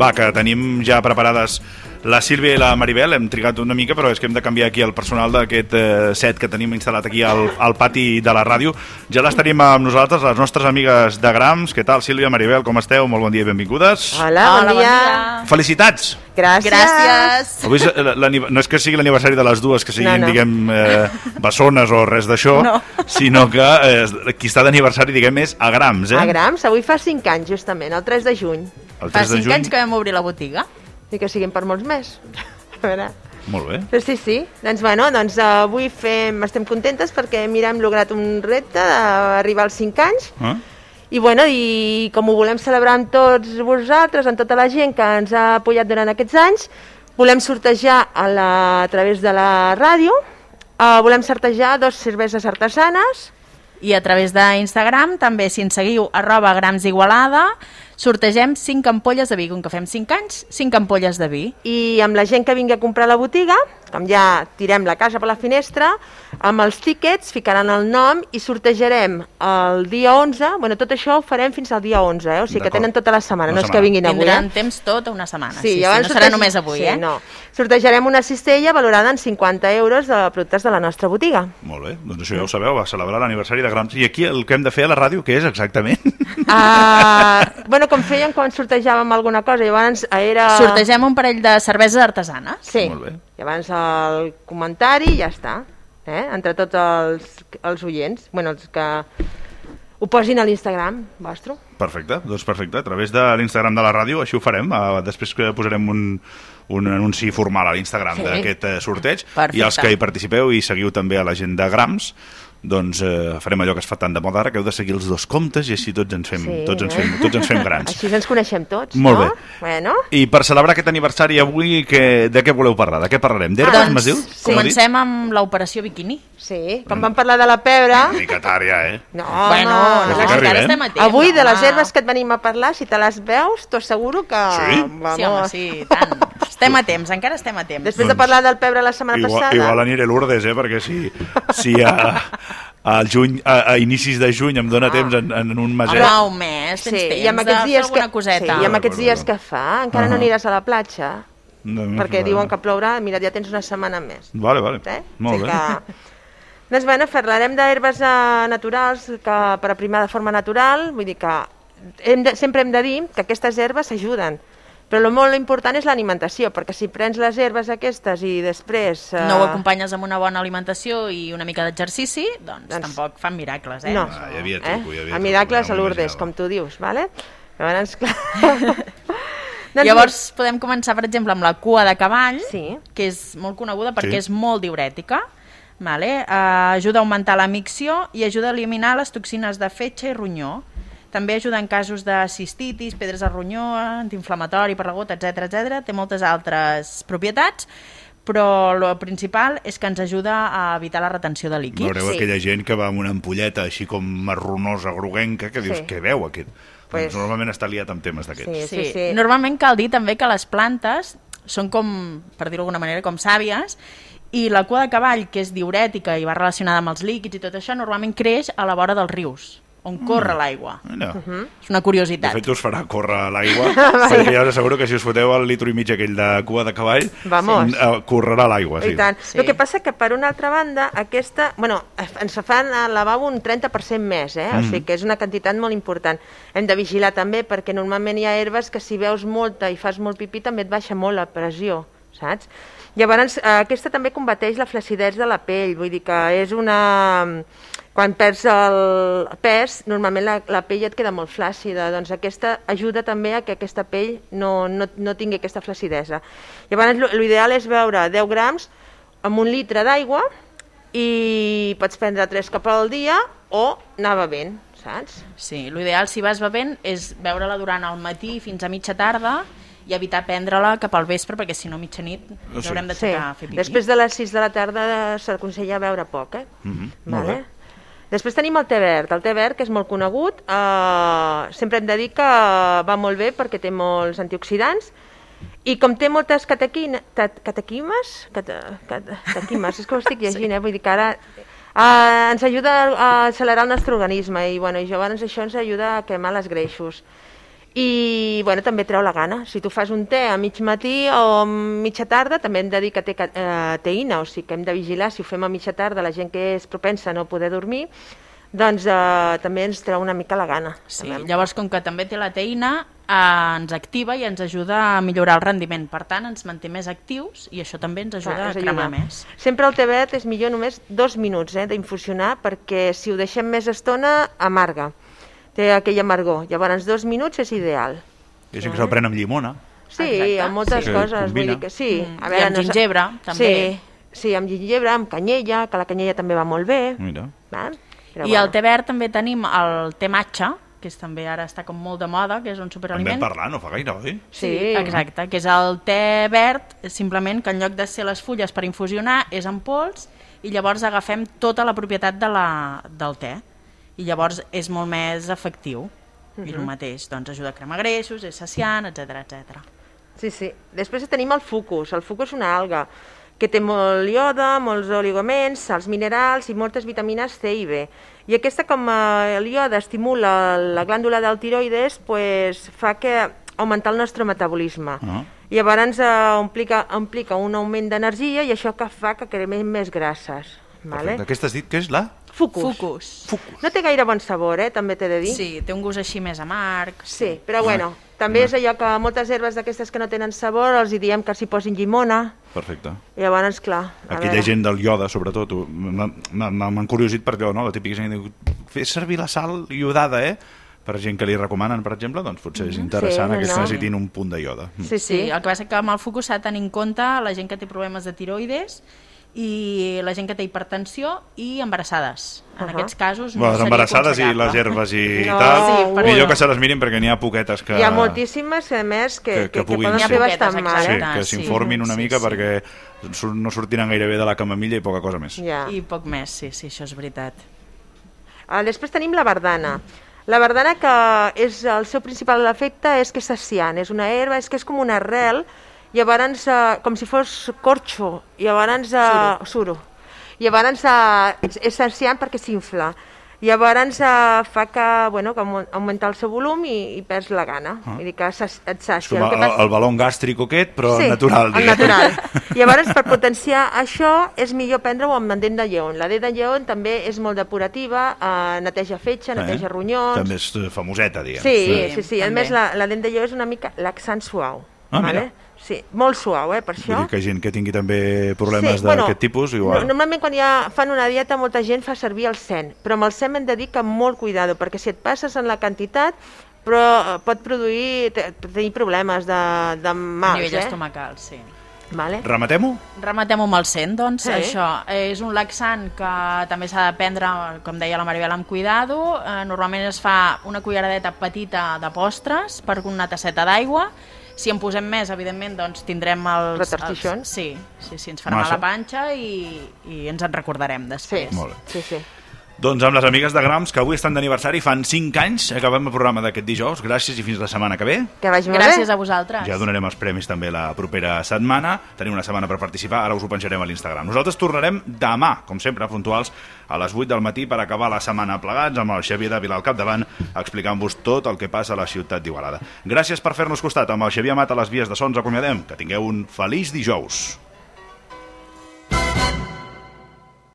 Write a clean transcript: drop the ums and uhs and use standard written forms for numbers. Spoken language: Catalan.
Va, que tenim ja preparades la Sílvia i la Maribel. Hem trigat una mica, però és que hem de canviar aquí el personal d'aquest set que tenim instal·lat aquí al pati de la ràdio. Ja les tenim amb nosaltres, les nostres amigues de Grams. Què tal, Sílvia, Maribel, com esteu? Molt bon dia i benvingudes. Hola, bon dia. Felicitats! Gràcies. Avui no és que sigui l'aniversari de les dues, que siguin, diguem, bessones o res d'això, sinó que qui està d'aniversari, diguem, és a Grams, A Grams, avui fa 5 anys, justament, el 3 de juny. Fa 5 anys que vam obrir la botiga. I que siguin per molts més. A veure... Molt bé. Però sí. Doncs avui estem contentes perquè hem lograt un repte d'arribar als 5 anys. I com ho volem celebrar amb tots vosaltres, amb tota la gent que ens ha apoyat durant aquests anys, volem sortejar a través de la ràdio, volem sortejar 2 cerveses artesanes. I a través d'Instagram, també, si ens seguiu, @gramsigualada, sortegem 5 ampolles de vi. Com que fem 5 anys, 5 ampolles de vi. I amb la gent que vingui a comprar la botiga, com ja tirem la casa per la finestra, amb els tíquets ficaran el nom i sortejarem el dia 11. Bueno, tot això ho farem fins al dia 11, o sigui que tenen tota la setmana, no és que vinguin avui. Tindran temps tota una setmana, sí, no serà només avui, No. Sortejarem una cistella valorada en 50 euros de productes de la nostra botiga. Molt bé, doncs això ja ho sabeu, va celebrar l'aniversari de Grams. I aquí el que hem de fer a la ràdio, què és exactament? Bueno, com fèiem quan sortejàvem alguna cosa, llavors era... Sortegem un parell de cerveses artesanes. Sí, molt bé. Llavors el comentari ja està, entre tots els oients, els que ho posin a l'Instagram vostre. Perfecte, doncs perfecte, a través de l'Instagram de la ràdio, així ho farem, després que posarem un anunci formal a l'Instagram d'aquest sorteig. Perfecte. I els que hi participeu i seguiu també a la gent de Grams, doncs farem allò que es fa tant de moda ara, que heu de seguir els 2 comptes i així tots ens fem grans. Així ens coneixem tots, molt bé. Bueno. I per celebrar aquest aniversari avui, de què voleu parlar? De què parlarem? D'herbes, m'has dit? Comencem amb l'operació biquini. Sí, com vam parlar de la pebre... Nicatària, No, encara estem a temps. Avui, de les herbes que et venim a parlar, si te les veus, t'ho asseguro que... Sí? Sí, home, sí, tant. Estem a temps, encara estem a temps. Després de parlar del pebre la setmana passada... Igual aniré a Lourdes, perquè si a inicis de juny em dóna temps en un meset... Home, un mes, tens temps de fer alguna coseta. Sí, i amb aquests dies que fa, encara no aniràs a la platja, perquè diuen que plourà, mira, ja tens una setmana més. Vale, molt bé. Doncs bueno, parlarem d'herbes naturals per aprimar de forma natural, vull dir que sempre hem de dir que aquestes herbes ajuden, però el molt important és l'alimentació, perquè si prens les herbes aquestes i després... No ho acompanyes amb una bona alimentació i una mica d'exercici, doncs tampoc fan miracles, No, hi havia truco, el miracle és a Lourdes, com tu dius, vale? Llavors, clar... Llavors podem començar, per exemple, amb la cua de cavall, que és molt coneguda perquè és molt diürètica, ajuda a augmentar la micció i ajuda a eliminar les toxines de fetge i ronyó. També ajuda en casos de cistitis, pedres al ronyó, antiinflamatori per la gota, etc. Té moltes altres propietats, però el principal és que ens ajuda a evitar la retenció de líquids. Veureu aquella gent que va amb una ampolleta així com marronosa, groguenca, que dius, què veu aquest? Normalment està liat amb temes d'aquests. Sí. Normalment cal dir també que les plantes són com, per dir-ho d'alguna manera, com sàvies, i la cua de cavall, que és diürètica i va relacionada amb els líquids i tot això, normalment creix a la vora dels rius, on corre l'aigua. És una curiositat. De fet, us farà córrer l'aigua, perquè ja us asseguro que si us foteu el litro i mig aquell de cua de cavall, correrà l'aigua. I tant. El que passa que, per una altra banda, aquesta... ens fan al lavabo un 30% més, o sigui que és una quantitat molt important. Hem de vigilar també, perquè normalment hi ha herbes que si veus molta i fas molt pipí també et baixa molt la pressió, saps? Llavors, aquesta també combateix la flaccidesa de la pell, vull dir que és una... Quan perds el pes, normalment la pell et queda molt flàcida, doncs aquesta ajuda també a que aquesta pell no tingui aquesta flacidesa. Llavors, l'ideal és beure 10 grams amb 1 litre d'aigua i pots prendre 3 cops al dia o anar bevent, saps? Sí, l'ideal si vas bevent és beure-la durant el matí fins a mitja tarda i evitar prendre-la cap al vespre, perquè si no mitjanit ens haurem d'aixecar a fer pipí. Després de les 6 de la tarda s'aconsella beure poc, Molt bé. Després tenim el te verd. El te verd, que és molt conegut, sempre hem de dir que va molt bé perquè té molts antioxidants i com té moltes catequimes, és que ho estic llegint, vull dir que ara ens ajuda a accelerar el nostre organisme i llavors això ens ajuda a cremar els greixos. I bueno, també treu la gana. Si tu fas un te a mig matí o a mitja tarda, també hem de dir que té teïna, o sigui que hem de vigilar si ho fem a mitja tarda, la gent que és propensa a no poder dormir, doncs també ens treu una mica la gana. Sí, llavors com que també té la teïna, ens activa i ens ajuda a millorar el rendiment, per tant ens manté més actius i això també ens ajuda a cremar més. Sempre el te verd és millor només 2 minuts d'infusionar, perquè si ho deixem més estona amarga, té aquell amargor, llavors 2 minuts és ideal. I gent que se'l pren amb llimona. Sí, amb moltes coses, vull dir que sí. A veure, i amb gingebre també. Sí, amb gingebre, amb canyella, que la canyella també va molt bé. Mira. I al te verd també tenim el te matxa, que també ara està com molt de moda, que és un superaliment. En vam parlar, no fa gaire, oi? Sí, exacte, que és el te verd, simplement que en lloc de ser les fulles per infusionar, és en pols, i llavors agafem tota la propietat del te, i llavors és molt més efectiu. I el mateix, doncs ajuda a cremar greixos, és saciant, etc. Sí. Després tenim el fucus. El fucus és una alga que té molt iode, molts oligoments, sals minerals i moltes vitamines C i B. I aquesta, com el iode estimula la glàndula del tiroides, fa que augmentar el nostre metabolisme. I llavors implica un augment d'energia i això que fa que cremem més grasses. Perfecte. Aquesta has dit que és la? Fucus. No té gaire bon sabor, també t'he de dir. Sí, té un gust així més amarg. Sí, però bueno, també és allò que moltes herbes d'aquestes que no tenen sabor els diem que s'hi posin llimona. Perfecte. I llavors, clar... Aquella gent del iode, sobretot, m'han curiosit per allò, no? La típica gent que diu, fes servir la sal iodada, per gent que li recomanen, per exemple, doncs potser és interessant que necessitin un punt de iode. Sí, el que passa que amb el fucus s'ha de tenir en compte la gent que té problemes de tiroides i la gent que té hipertensió i embarassades. En aquests casos no seria embarassades i les herbes i tal, millor que se les mirin perquè n'hi ha poquetes que... Hi ha moltíssimes, a més, que poden ser bastant mal. Sí, que s'informin una mica perquè no sortiran gaire bé de la camamilla i poca cosa més. I poc més, sí, això és veritat. Després tenim la verdana. La verdana, que el seu principal efecte és que és saciant, és una herba, és que és com una arrel, llavors, com si fos corxo, llavors suro. Llavors és saciant perquè s'infla. Llavors fa que augmenta el seu volum i perds la gana. Vull dir que et sàcia. És com el balon gàstric aquest, però natural. Sí, el natural. Llavors, per potenciar això, és millor prendre-ho amb dent de lleó. La dent de lleó també és molt depurativa, neteja fetge, neteja ronyons... També és famoseta, diguem. Sí. A més, la dent de lleó és una mica laxant suau. Mira. Sí, molt suau, per això. Vull dir que gent que tingui també problemes d'aquest tipus, igual. Normalment quan fan una dieta molta gent fa servir el sen, però amb el sen hem de dir que molt cuidado, perquè si et passes en la quantitat, però pot tenir problemes de mals. A nivell estomacal, sí. Rematem-ho? Rematem-ho amb el sen, doncs. Això és un laxant que també s'ha de prendre, com deia la Maribel, amb cuidado. Normalment es fa una culleradeta petita de postres per una tasseta d'aigua. Si en posem més, evidentment, doncs tindrem els... Retortixons? Sí, ens farà mal la panxa i ens en recordarem després. Molt bé. Sí. Doncs amb les amigues de Grams, que avui estan d'aniversari, fan 5 anys, acabem el programa d'aquest dijous. Gràcies i fins la setmana que ve. Que vagi molt bé. Gràcies a vosaltres. Ja donarem els premis també la propera setmana. Tenim una setmana per participar, ara us ho penjarem a l'Instagram. Nosaltres tornarem demà, com sempre, puntuals, a les 8 del matí per acabar la setmana plegats amb el Xavier Dávila al capdavant, explicant-vos tot el que passa a la ciutat d'Igualada. Gràcies per fer-nos costat. Amb el Xavier Amat a les vies de so ens acomiadem. Que tingueu un feliç dijous.